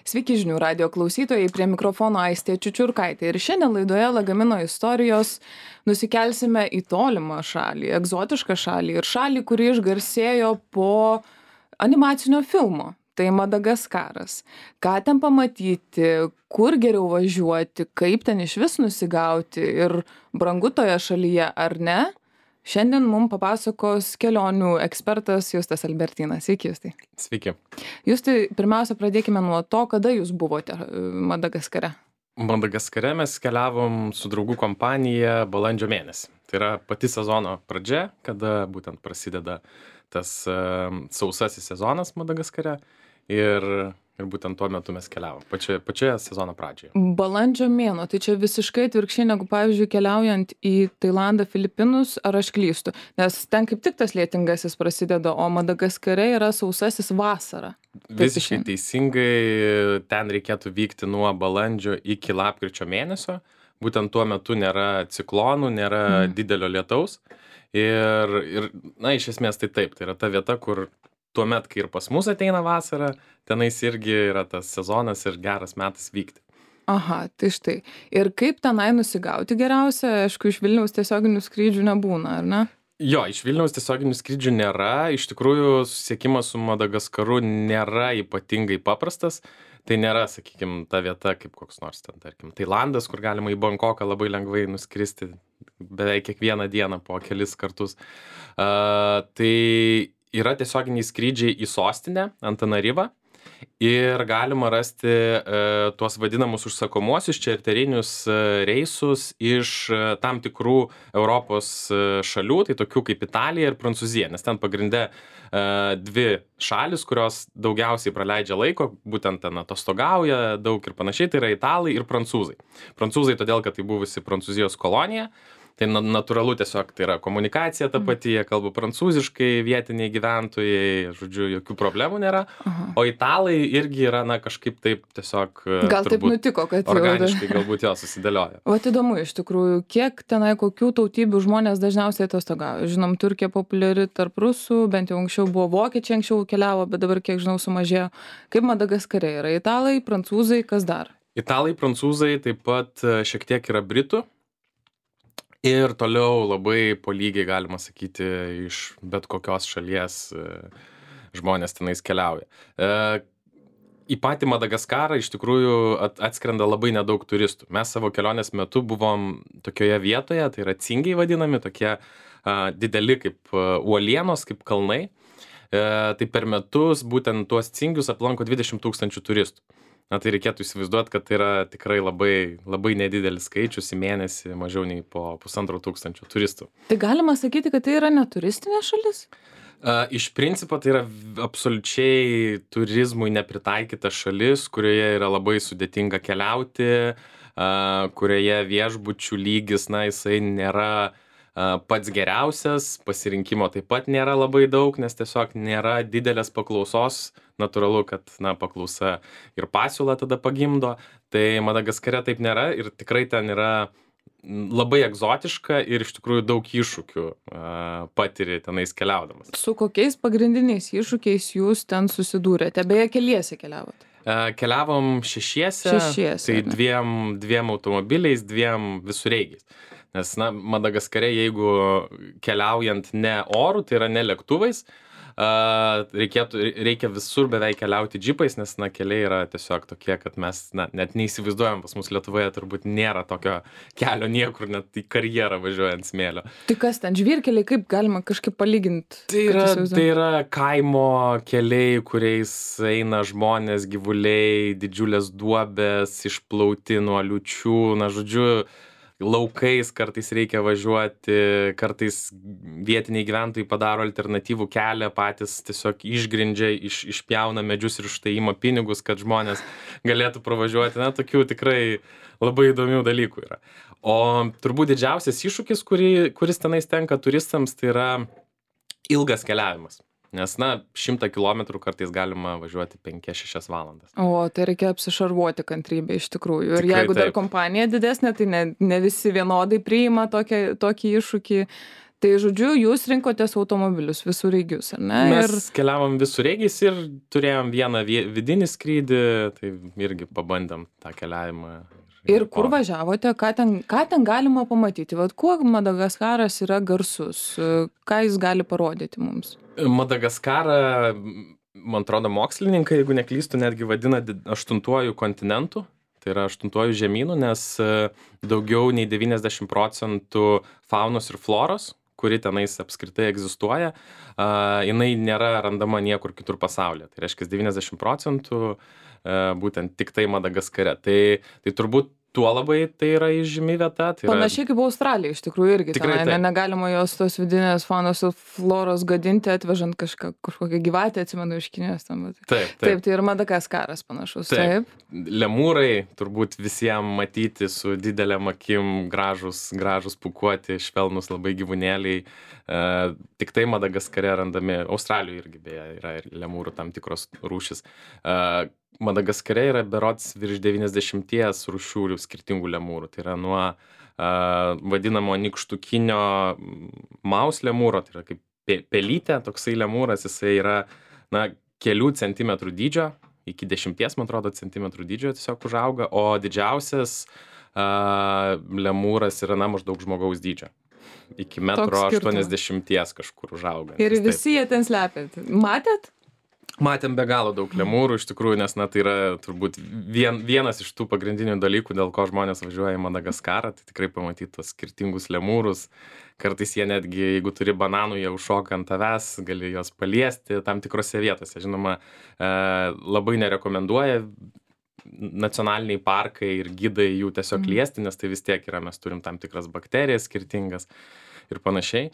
Sveiki žinių radijo klausytojai, prie mikrofono Aistė Čiučiurkaitė. Ir šiandien laidoje Lagamino istorijos nusikelsime į tolimą šalį, egzotišką šalį ir šalį, kuri išgarsėjo po animacinio filmo. Tai Madagaskaras. Ką ten pamatyti, kur geriau važiuoti, kaip ten iš vis nusigauti ir brangu toje šalyje ar ne? Šiandien mums papasakos kelionių ekspertas Justas Albertinas. Sveiki, Justai. Sveiki. Justai, pirmiausia, pradėkime nuo to, kada jūs buvote Madagaskare. Madagaskare mes keliavom su draugų kompanija balandžio mėnesį. Tai yra pati sezono pradžia, kada būtent prasideda tas sausasis sezonas Madagaskare ir būtent tuo metu mes keliavom, pačioje sezono pradžioje. Balandžio mėnuo, tai čia visiškai atvirkščiai negu, pavyzdžiui, keliaujant į Tailandą, Filipinus, ar aš klystu? Nes ten kaip tik tas lietingasis prasideda, o Madagaskare yra sausasis vasara. Visiškai teisingai, ten reikėtų vykti nuo balandžio iki lapkričio mėnesio. Būtent tuo metu nėra ciklonų, nėra didelio lietaus. Ir, iš esmės tai taip, tai yra ta vieta, kur tuomet, kai ir pas mus ateina vasara, tenais irgi yra tas sezonas ir geras metas vykti. Aha, tai štai. Ir kaip tenai nusigauti geriausia? Aišku, iš Vilniaus tiesioginių skrydžių nebūna, ar ne? Jo, iš Vilniaus tiesioginių skrydžių nėra. Iš tikrųjų, susisiekimas su Madagaskaru nėra ypatingai paprastas. Tai nėra, sakykime, ta vieta kaip koks nors ten, tarkim, Tailandas, kur galima į Bankoką labai lengvai nuskristi beveik kiekvieną dieną po kelis kartus. Tai yra tiesioginiai skrydžiai į sostinę, Antananarivą, ir galima rasti tuos vadinamus užsakomuosius čarterinius reisus iš tam tikrų Europos šalių, tai tokių kaip Italija ir Prancūzija, nes ten pagrinde dvi šalis, kurios daugiausiai praleidžia laiko, būtent ten atostogauja daug ir panašiai, tai yra italai ir prancūzai. Prancūzai todėl, kad tai buvusi Prancūzijos kolonija. Tai natūralu tiesiog, tai yra komunikacija ta pati, jie kalba prancūziškai, vietiniai gyventojai, žodžiu, jokių problemų nėra. O italai irgi yra, kažkaip taip tiesiog gal taip nutiko, kad organiškai galbūt jo susidėlioja. O įdomu iš tikrųjų, kiek tenai kokių tautybių žmonės dažniausiai atostogauja. Žinom, Turkija populiari tarp rusų, bent jau anksčiau buvo vokiečiai, anksčiau keliavo, bet dabar, kiek žinau, sumažėjo. Kaip Madagaskare yra italai, prancūzai, kas dar? Italai, prancūzai, taip pat šiek tiek yra britų. Ir toliau labai po lygiai, galima sakyti, iš bet kokios šalies žmonės tenais keliauja. Į patį Madagaskarą iš tikrųjų atskrenda labai nedaug turistų. Mes savo kelionės metu buvom tokioje vietoje, tai yra cingiai vadinami, tokie dideli kaip uolienos, kaip kalnai. Tai per metus būtent tuos cingius aplanko 20 000 turistų. Tai reikėtų įsivaizduoti, kad tai yra tikrai labai, labai nedidelis skaičius į mėnesį, mažiau nei po 1500 turistų. Tai galima sakyti, kad tai yra neturistinė šalis? Iš principo tai yra absoliučiai turizmui nepritaikyta šalis, kurioje yra labai sudėtinga keliauti, kurioje viešbučių lygis, jisai nėra pats geriausias, pasirinkimo taip pat nėra labai daug, nes tiesiog nėra didelės paklausos, natūralu, kad paklausa ir pasiūla tada pagimdo, tai Madagaskare taip nėra ir tikrai ten yra labai egzotiška ir iš tikrųjų daug iššūkių patiri tenais keliaudamas. Su kokiais pagrindiniais iššūkiais jūs ten susidūrėte? Beje, keliese keliavote? Keliavom šešiese, tai dviem automobiliais, dviem visureigiais. Nes, Madagaskare, jeigu keliaujant ne oru, tai yra ne lėktuvais, reikia visur beveik keliauti džipais, nes, keliai yra tiesiog tokie, kad mes, net neįsivaizduojam, pas mus Lietuvoje turbūt nėra tokio kelio niekur, net į karjerą važiuojant smėlio. Tai kas ten, žvyrkeliai, kaip galima kažkaip palyginti? Tai yra kaimo keliai, kuriais eina žmonės, gyvuliai, didžiulės duobės, išplauti nuo liūčių, žodžiu, laukais kartais reikia važiuoti, kartais vietiniai gyventojai padaro alternatyvų kelią, patys tiesiog išgrindžia, išpjauna medžius ir už tai ima pinigus, kad žmonės galėtų pravažiuoti. Tokių tikrai labai įdomių dalykų yra. O turbūt didžiausias iššūkis, kuris tenais tenka turistams, tai yra ilgas keliavimas. Nes, 100 kilometrų kartais galima važiuoti 5-6 valandas. O, tai reikia apsišarvuoti kantrybę iš tikrųjų. Ir Tikrai jeigu dar taip. kompanija didesnė, tai ne visi vienodai priima tokį iššūkį. Tai žodžiu, jūs rinkotės automobilius visureigius, ar ne? Mes keliavom visureigiais ir turėjom vieną vidinį skrydį, tai irgi pabandėm tą keliavimą. Ir kur važiavote, ką ten galima pamatyti? Vat kuo Madagaskaras yra garsus? Ką jis gali parodyti mums? Madagaskarą, man atrodo, mokslininkai, jeigu neklystu, netgi vadina 8-uoju kontinentu. Tai yra 8-uoju žemynu, nes daugiau nei 90% faunos ir floros, kuri tenais apskritai egzistuoja, jinai nėra randama niekur kitur pasaulyje. Tai reiškia 90% būtent tik tai Madagaskare. Tai turbūt tuo labai tai yra įžymi vieta. Tai panašiai kaip Australija, iš tikrųjų irgi. Tikrai tenai, negalima jos tos vidinės faunos ir floros gadinti, atvežant kažkokią gyvatę, atsimenu, iš Kinijos. Taip, tai ir Madagaskaras panašus. Taip. Lemūrai turbūt visiems matyti su didelėm akim, gražus pūkuoti, švelnus labai gyvūnėliai. Tik tai Madagaskare randami, Australijoje irgi beje yra ir lemūrų tam tikros rūšis. Madagaskare yra berods virš 90 rūšių skirtingų lemūrų. Tai yra nuo vadinamo nykštukinio maus lemūro, tai yra kaip pelytė, toksai lemūras, jisai yra kelių centimetrų dydžio, iki 10, man atrodo, centimetrų dydžio tiesiog užauga, o didžiausias lemūras yra maždaug žmogaus dydžio. Iki 1,80 m kažkur užauga. Ir visi jie ten slepia. Matėt? Matėm be galo daug lemūrų, iš tikrųjų, nes tai yra turbūt vienas iš tų pagrindinių dalykų, dėl ko žmonės važiuoja į Madagaskarą, tai tikrai pamatyti tos skirtingus lemūrus. Kartais jie netgi, jeigu turi bananų, jie užšoka ant tavęs, gali juos paliesti tam tikrose vietose. Žinoma, labai nerekomenduoja nacionaliniai parkai ir gidai jų tiesiog liesti, nes tai vis tiek yra, mes turim tam tikras bakterijas skirtingas ir panašiai.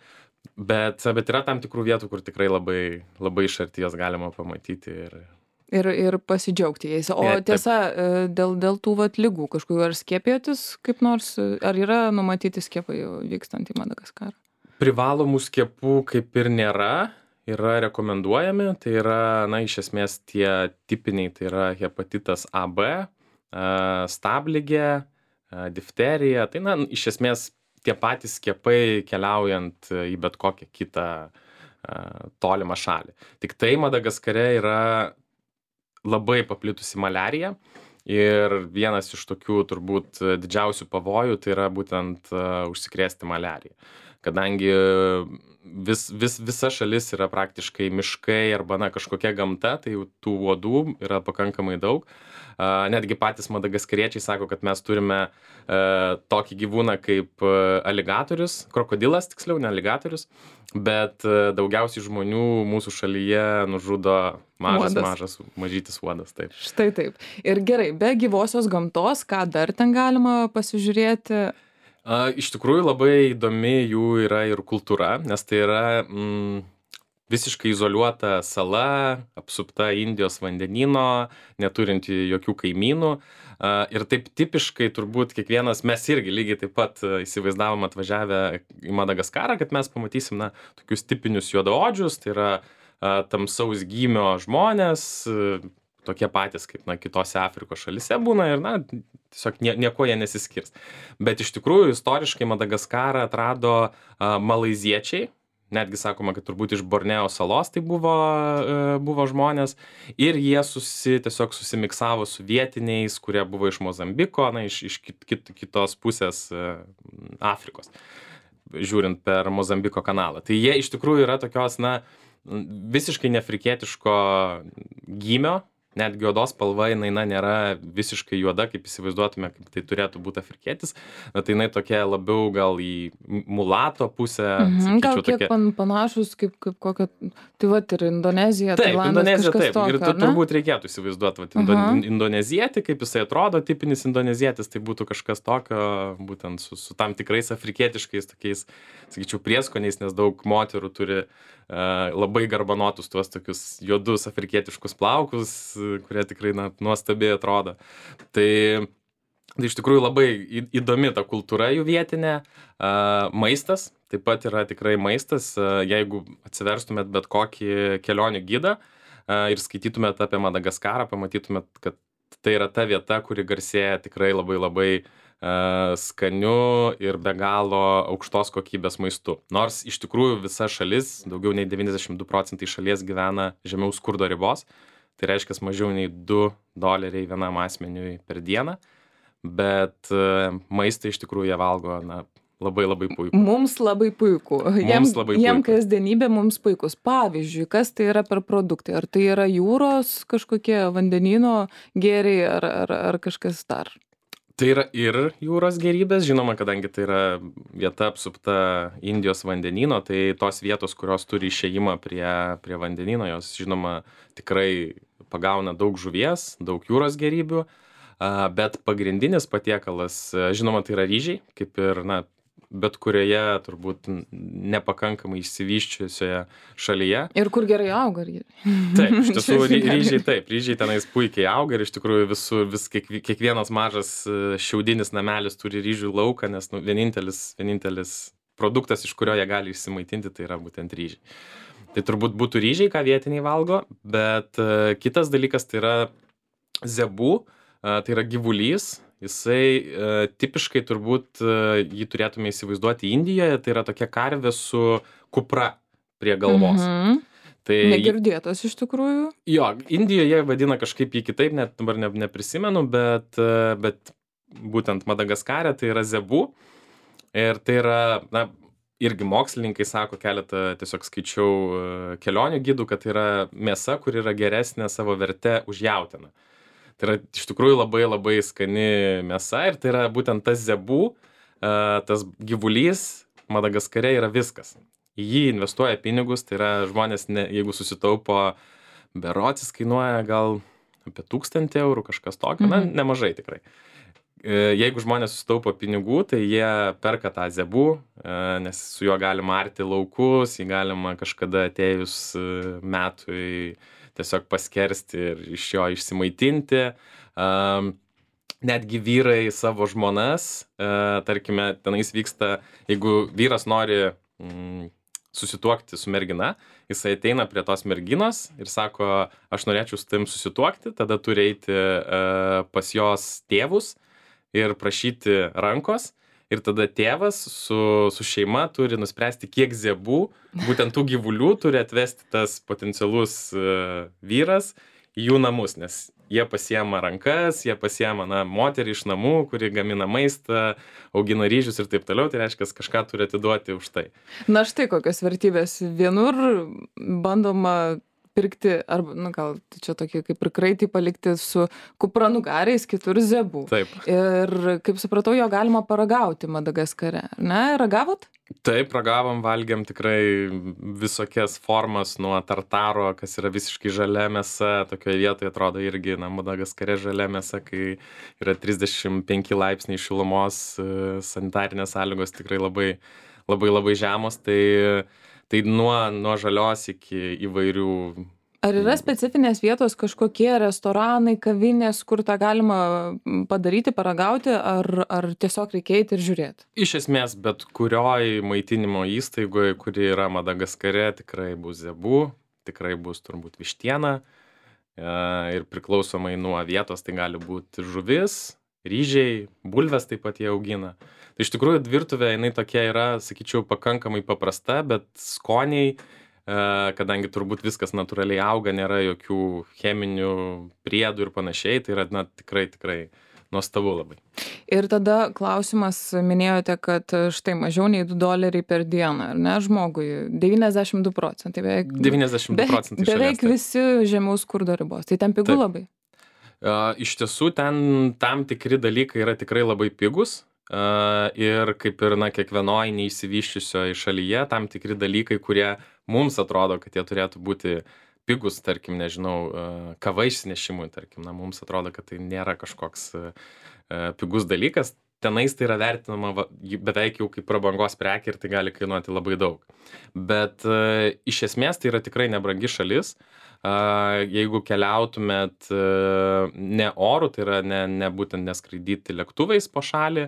Bet yra tam tikrų vietų, kur tikrai labai iš arti jas galima pamatyti. Ir pasidžiaugti jais. O tiesa, dėl tų ligų kažkokių, ar skiepėjotis kaip nors, ar yra numatyti skiepai vykstant į Madagaskarą? Privalomų skiepų kaip ir nėra, yra rekomenduojami. Tai yra, iš esmės tie tipiniai, tai yra hepatitas AB, stabligė, difterija. Tai, iš esmės, tie patys skiepai keliaujant į bet kokią kitą tolimą šalį. Tik tai Madagaskare yra labai paplitusi maliarija ir vienas iš tokių turbūt didžiausių pavojų tai yra būtent užsikrėsti maliarija. Kadangi visa šalis yra praktiškai miškai arba kažkokia gamta, tai tų uodų yra pakankamai daug. Netgi patys madagaskariečiai sako, kad mes turime tokį gyvūną kaip aligatorius, krokodilas tiksliau, ne aligatorius, bet daugiausiai žmonių mūsų šalyje nužudo mažas, mažytis uodas. Taip. Štai taip. Ir gerai, be gyvosios gamtos, ką dar ten galima pasižiūrėti? Iš tikrųjų labai įdomi jų yra ir kultūra, nes tai yra visiškai izoliuota sala, apsupta Indijos vandenyno, neturinti jokių kaimynų. Ir taip tipiškai turbūt kiekvienas, mes irgi lygiai taip pat įsivaizdavom atvažiavę į Madagaskarą, kad mes pamatysim tokius tipinius juodaodžius, tai yra tamsaus gymio žmonės, tokie patys kaip kitose Afrikos šalyse būna ir tiesiog nieko jie nesiskirs. Bet iš tikrųjų istoriškai Madagaskarą atrado malaiziečiai, netgi sakoma, kad turbūt iš Borneo salos tai buvo žmonės ir jie tiesiog susimiksavo su vietiniais, kurie buvo iš Mozambiko, iš kitos pusės Afrikos, žiūrint per Mozambiko kanalą. Tai jie iš tikrųjų yra tokios, visiškai neafrikietiško gymio, netgi odos spalva jinai nėra visiškai juoda, kaip įsivaizduotume, kaip tai turėtų būti afrikietis. Tai jinai tokia labiau gal į mulato pusę. Gal kiek panašus kaip kokia, tai ir Indonezija, taip, Tailandas, Indonezija, kažkas taip. tokio, Ir turbūt reikėtų įsivaizduoti, indonezietį, kaip jisai atrodo, tipinis indonezietis, tai būtų kažkas tokio, būtent su tam tikrais afrikietiškais tokiais, sakyčiau, prieskoniais, nes daug moterų turi labai garbanotus tuos tokius juodus afrikietiškus plaukus, kurie tikrai nuostabiai atrodo. Tai iš tikrųjų labai įdomi ta kultūra jų vietinė. Maistas, taip pat yra tikrai maistas. Jeigu atsiverstumėt bet kokį kelionių gidą ir skaitytumėt apie Madagaskarą, pamatytumėt, kad tai yra ta vieta, kuri garsėja tikrai labai skaniu ir be galo aukštos kokybės maistu. Nors iš tikrųjų visa šalis, daugiau nei 92% šalies gyvena žemiau skurdo ribos, tai reiškia mažiau nei $2 vienam asmeniui per dieną, bet maistą iš tikrųjų jie valgo, labai labai puiku. Mums labai puiku. Jiem kasdienybė mums puikus. Pavyzdžiui, kas tai yra per produktai? Ar tai yra jūros kažkokie vandenyno gėriai ar kažkas dar? Tai yra ir jūros gėrybės, žinoma, kadangi tai yra vieta apsupta Indijos vandenyno, tai tos vietos, kurios turi išėjimą prie vandenyno, jos, žinoma, tikrai pagauna daug žuvies, daug jūros gėrybių, bet pagrindinis patiekalas, žinoma, tai yra ryžiai, kaip ir, bet kurioje turbūt nepakankamai išsivysčiusioje šalyje. Ir kur gerai auga ryžiai. Taip, iš tiesų ryžiai tenais puikiai auga ir iš tikrųjų kiekvienas mažas šiaudinis namelis turi ryžių lauką, nes vienintelis produktas, iš kurio jie gali išsimaitinti, tai yra būtent ryžiai. Tai turbūt būtų ryžiai, ką vietiniai valgo, bet kitas dalykas tai yra zebu, tai yra gyvulys. Jisai tipiškai turbūt jį turėtume įsivaizduoti Indijoje, tai yra tokia karvė su kupra prie galvos. Tai, negirdėtas iš tikrųjų? Jo, Indijoje vadina kažkaip jį kitaip, net dabar neprisimenu, bet būtent Madagaskare tai yra zebu. Ir tai yra, irgi mokslininkai sako, keletą tiesiog skaičiau kelionių gidų, kad tai yra mėsa, kur yra geresnė savo verte už jautieną. Tai yra iš tikrųjų labai labai skani mėsa ir tai yra būtent tas zebu, tas gyvulys Madagaskare yra viskas. Į jį investuoja pinigus, tai yra žmonės, jeigu susitaupo, berods jis kainuoja gal apie 1000 eurų, kažkas tokio, nemažai tikrai. Jeigu žmonės susitaupo pinigų, tai jie perka tą zebu, nes su juo galima arti laukus, jį galima kažkada atėjus metui tiesiog paskersti ir iš jo išsimaitinti. Netgi vyrai savo žmonas, tarkime, tenais vyksta, jeigu vyras nori susituokti su mergina, jisai ateina prie tos merginos ir sako, aš norėčiau su tavim susituokti, tada turi eiti pas jos tėvus ir prašyti rankos. Ir tada tėvas su šeima turi nuspręsti, kiek zebu, būtent tų gyvulių turi atvesti tas potencialus vyras į jų namus, nes jie pasiema rankas, jie pasiema moterį iš namų, kuri gamina maistą, augina ryžius ir taip toliau, tai reiškia, kažką turi atiduoti už tai. Na štai kokios vertybės. Vienur bandoma pirkti, arba, gal čia tokie kaip ir kraitį palikti su kupranugariais, kitur zebu. Taip. Ir, kaip supratau, jo galima paragauti Madagaskare, ne? Ragavot? Taip, ragavom, valgėm tikrai visokias formas nuo tartaro, kas yra visiškai žalia mėsa, tokioje vietoje atrodo irgi, Madagaskare žalia mėsa, kai yra 35 laipsniai šilumos, sanitarinės sąlygos tikrai labai, labai, labai žemos, tai nuo žalios iki įvairių. Ar yra specifinės vietos, kažkokie restoranai, kavinės, kur tą galima padaryti, paragauti, ar tiesiog reikia eiti ir žiūrėti? Iš esmės, bet kurioj maitinimo įstaigoje, kuri yra Madagaskare, tikrai bus zebu, tikrai bus turbūt vištiena ir priklausomai nuo vietos tai gali būti žuvis, ryžiai, bulves taip pat jie augina. Tai iš tikrųjų virtuvė, jinai tokia yra, sakyčiau, pakankamai paprasta, bet skoniai, kadangi turbūt viskas natūraliai auga, nėra jokių cheminių priedų ir panašiai, tai yra tikrai nuostabu labai. Ir tada klausimas, minėjote, kad štai mažiau nei $2 per dieną, ar ne, žmogui, 92%, beveik 92% beveik visi žemiau skurdo ribos, tai ten pigu labai? Iš tiesų, ten tam tikri dalykai yra tikrai labai pigus. Ir kaip ir kiekvienoj neišsivysčiusioje šalyje tam tikri dalykai, kurie mums atrodo, kad jie turėtų būti pigus, tarkim, nežinau, kava išsinešimui, tarkim, mums atrodo, kad tai nėra kažkoks pigus dalykas. Tenais tai yra vertinama beveik jau kaip prabangos prekė ir tai gali kainuoti labai daug. Bet iš esmės tai yra tikrai nebrangi šalis. Jeigu keliautumėt ne oru, tai yra ne būtent neskraidyti lėktuvais po šalį,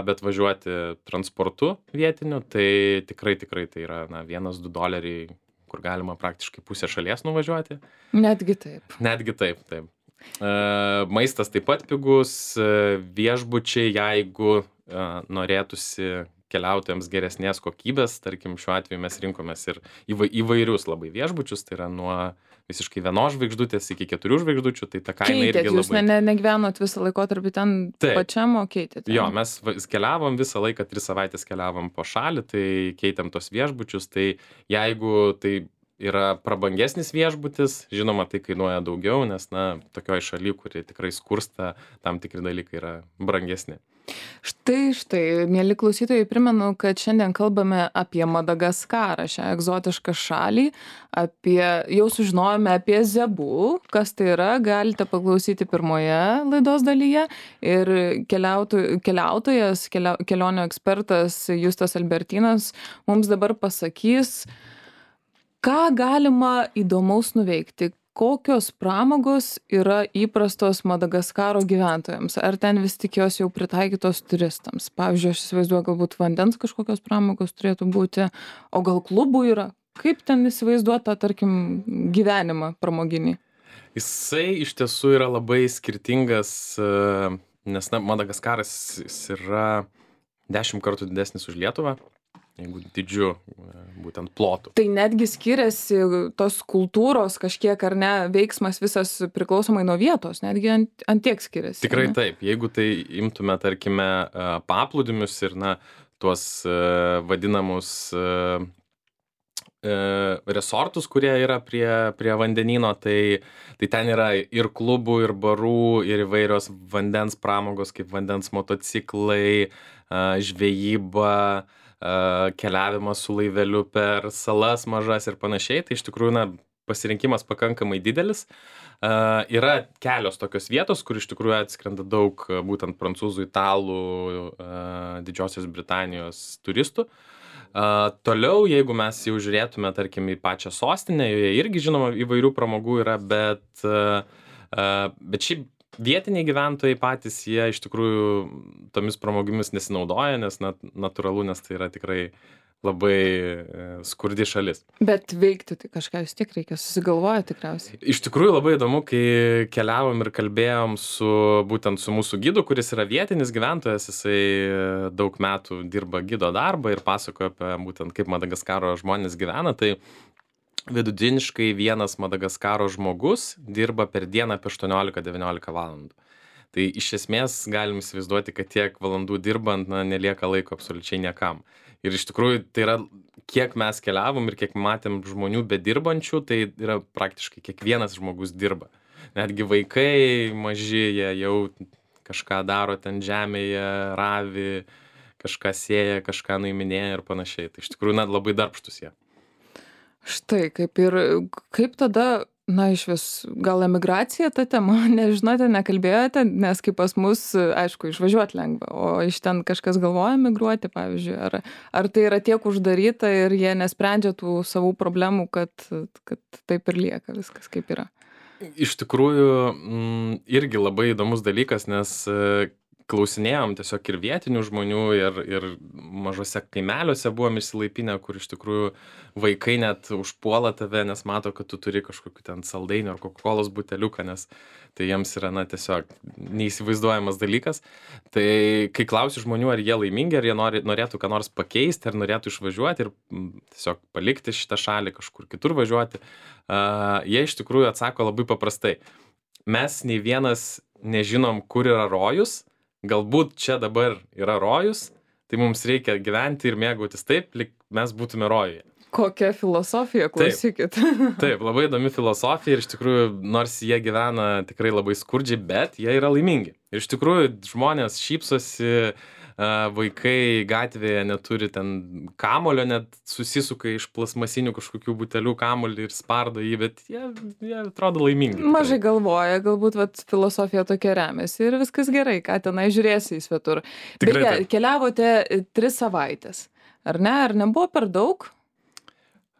bet važiuoti transportu vietiniu, tai tikrai tai yra $1-2, kur galima praktiškai pusę šalies nuvažiuoti. Netgi taip. Netgi taip. Maistas taip pat pigus, viešbučiai, jeigu norėtųsi keliautojams geresnės kokybės, tarkim, šiuo atveju mes rinkomės ir įvairius labai viešbučius, tai yra nuo visiškai 1 žvaigždutės iki 4 žvaigždučių, tai ta kaina Keitėt, irgi jūs labai... negyvenot visą laikotarpį ten Taip. pačiam, o keitėt? Jo, mes keliavom visą laiką, 3 savaitės keliavom po šalį, tai keitėm tos viešbučius, tai jeigu tai yra prabangesnis viešbutis, žinoma, tai kainuoja daugiau, nes, na, tokioj šaly, kuri tikrai skursta, tam tikri dalykai yra brangesni. Štai, mieli klausytojai, primenu, kad šiandien kalbame apie Madagaskarą, šią egzotišką šalį, jau sužinojome apie Zebu, kas tai yra, galite paklausyti pirmoje laidos dalyje ir keliautojas, kelionių ekspertas Justas Albertinas mums dabar pasakys, ką galima įdomaus nuveikti, kokios pramogos yra įprastos Madagaskaro gyventojams, ar ten vis tik jos jau pritaikytos turistams. Pavyzdžiui, aš įsivaizduoju, galbūt vandens kažkokios pramogos turėtų būti, o gal klubų yra. Kaip ten įsivaizduota, tarkim, gyvenimą pramoginį? Jisai iš tiesų yra labai skirtingas, nes Madagaskaras yra 10 kartų didesnis už Lietuvą, jeigu didžiu būtent plotu. Tai netgi skiriasi tos kultūros kažkiek, ar ne, veiksmas visas priklausomai nuo vietos, netgi ant tiek skiriasi. Tikrai taip, jeigu tai imtume, tarkime, paplūdimius ir, na, tuos vadinamus resortus, kurie yra prie vandenyno, tai ten yra ir klubų, ir barų, ir įvairios vandens pramogos, kaip vandens motociklai, žvejyba, keliavimas su laiveliu per salas mažas ir panašiai, tai iš tikrųjų, na, pasirinkimas pakankamai didelis. Yra kelios tokios vietos, kur iš tikrųjų atskrenda daug būtent prancūzų, italų, Didžiosios Britanijos turistų. Toliau, jeigu mes jau žiūrėtume, tarkim, į pačią sostinę, joje irgi, žinoma, įvairių pramogų yra, bet šiaip vietiniai gyventojai patys, jie iš tikrųjų tomis pramogimis nesinaudoja, nes natūralu, nes tai yra tikrai labai skurdi šalis. Bet veikti tai kažką vis tiek reikia, susigalvoja tikriausiai. Iš tikrųjų labai įdomu, kai keliavom ir kalbėjom būtent su mūsų gidu, kuris yra vietinis gyventojas, jisai daug metų dirba gido darbą ir pasakoja apie būtent kaip Madagaskaro žmonės gyvena, tai vidutiniškai vienas Madagaskaro žmogus dirba per dieną apie 18-19 valandų. Tai iš esmės galim įsivaizduoti, kad tiek valandų dirbant, nelieka laiko absoliučiai niekam. Ir iš tikrųjų tai yra, kiek mes keliavom ir kiek matėm žmonių bedirbančių, tai yra praktiškai kiekvienas žmogus dirba. Netgi vaikai maži, jie jau kažką daro ten žemėje, ravi, kažką sėja, kažką nuiminėja ir panašiai. Tai iš tikrųjų labai darbštus jie. Štai, kaip tada, iš vis, gal emigracija ta tema, nežinote, nekalbėjote, nes kaip pas mus, aišku, išvažiuoti lengva, o iš ten kažkas galvoja emigruoti, pavyzdžiui, ar tai yra tiek uždaryta ir jie nesprendžia tų savų problemų, kad taip ir lieka viskas kaip yra. Iš tikrųjų, irgi labai įdomus dalykas, nes klausinėjom tiesiog ir vietinių žmonių, ir mažose kaimeliuose buvom išsilaipinę, kur iš tikrųjų vaikai net užpuola tave, nes mato, kad tu turi kažkokiu ten saldainių ar Coca-Colos buteliuką, nes tai jiems yra tiesiog neįsivaizduojamas dalykas. Tai kai klausi žmonių, ar jie laimingi, ar jie norėtų ką nors pakeisti, ar norėtų išvažiuoti ir tiesiog palikti šitą šalį, kažkur kitur važiuoti, jie iš tikrųjų atsako labai paprastai. Mes nei vienas nežinom, kur yra rojus. Galbūt čia dabar yra rojus, tai mums reikia gyventi ir mėgautis taip, lyg mes būtume rojuje. Kokia filosofija, klausykit. Taip, labai įdomi filosofija ir iš tikrųjų, nors jie gyvena tikrai labai skurdžiai, bet jie yra laimingi. Ir iš tikrųjų žmonės šypsosi, vaikai gatvėje neturi ten kamulio, net susisuka iš plasmasinių kažkokių butelių kamulį ir spardo jį, bet jie atrodo laimingi. Mažai galvoja, galbūt filosofija tokia remiasi ir viskas gerai, ką tenai žiūrėsi į svetur. Beje, keliavote 3 savaitės, ar ne? Ar nebuvo per daug?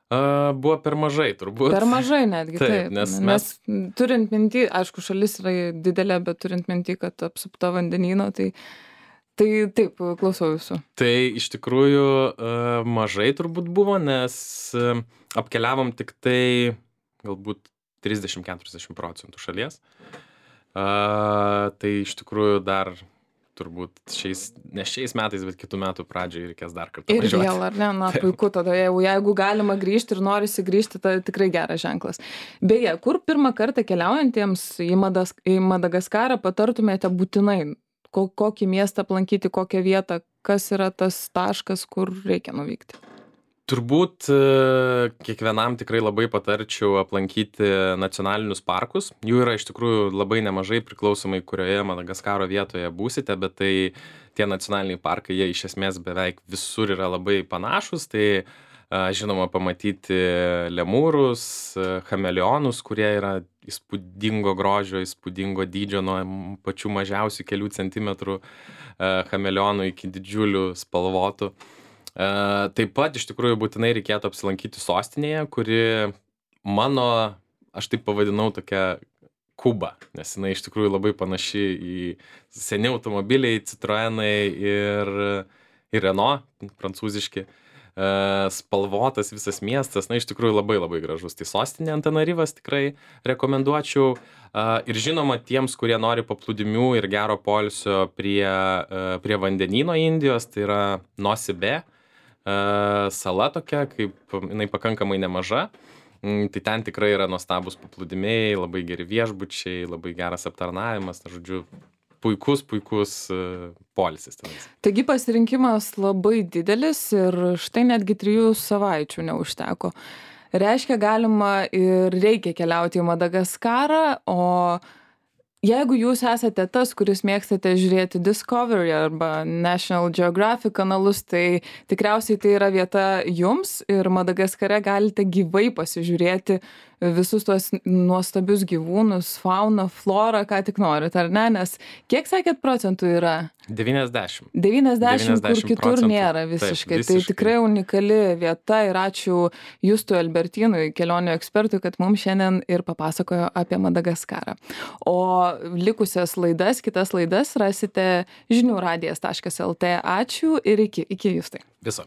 Buvo per mažai, turbūt. Per mažai netgi, taip. Nes turint mintį, aišku, šalis yra didelė, bet turint mintį, kad apsupta vandenyno, tai taip, klausau jūsų. Tai iš tikrųjų mažai turbūt buvo, nes apkeliavom tik tai galbūt 30-40% šalies. Tai iš tikrųjų dar turbūt ne šiais metais, bet kitų metų pradžioje reikės dar kartą Ir važiuoti. vėl, ar ne? Na, puiku, tada jeigu galima grįžti ir norisi grįžti, tai tikrai geras ženklas. Beje, kur pirmą kartą keliaujantiems į Madagaskarą patartumėte būtinai? Kokį miestą aplankyti, kokią vietą, kas yra tas taškas, kur reikia nuvykti? Turbūt kiekvienam tikrai labai patarčiau aplankyti nacionalinius parkus. Jų yra iš tikrųjų labai nemažai, priklausomai kurioje Madagaskaro vietoje būsite, bet tai tie nacionaliniai parkai, jie iš esmės beveik visur yra labai panašus. Tai žinoma pamatyti lemūrus, chameleonus, kurie yra įspūdingo grožio, įspūdingo dydžio nuo pačių mažiausių kelių centimetrų chameleonų iki didžiulių spalvotų. Taip pat iš tikrųjų būtinai reikėtų apsilankyti sostinėje, kuri aš taip pavadinau tokia Kuba, nes jinai iš tikrųjų labai panaši į seni automobiliai, Citroenai ir Renault, prancūziški. Spalvotas visas miestas, iš tikrųjų labai labai gražus. Tai sostinė Antananarivoas tikrai rekomenduočiau. Ir žinoma, tiems, kurie nori paplūdimių ir gero poilsio prie vandenyno Indijos, tai yra Nosy Be. Sala tokia, kaip jinai pakankamai nemaža, tai ten tikrai yra nuostabus paplūdimiai, labai geri viešbučiai, labai geras aptarnavimas, žodžiu, puikus poilsis tenais. Taigi pasirinkimas labai didelis ir štai netgi 3 savaičių neužteko. Reiškia, galima ir reikia keliauti į Madagaskarą, o jeigu jūs esate tas, kuris mėgstate žiūrėti Discovery arba National Geographic kanalus, tai tikriausiai tai yra vieta jums ir Madagaskare galite gyvai pasižiūrėti visus tuos nuostabius gyvūnus, fauną, florą, ką tik norit, ar ne? Nes kiek sakėt procentų yra? 90. 90, kur kitur nėra visiškai. Taip, tai tikrai unikali vieta ir ačiū Justui Albertinui, kelionių ekspertui, kad mums šiandien ir papasakojo apie Madagaskarą. O likusias kitas laidas rasite žiniųradijas.lt. Ačiū ir iki Justai. Viso.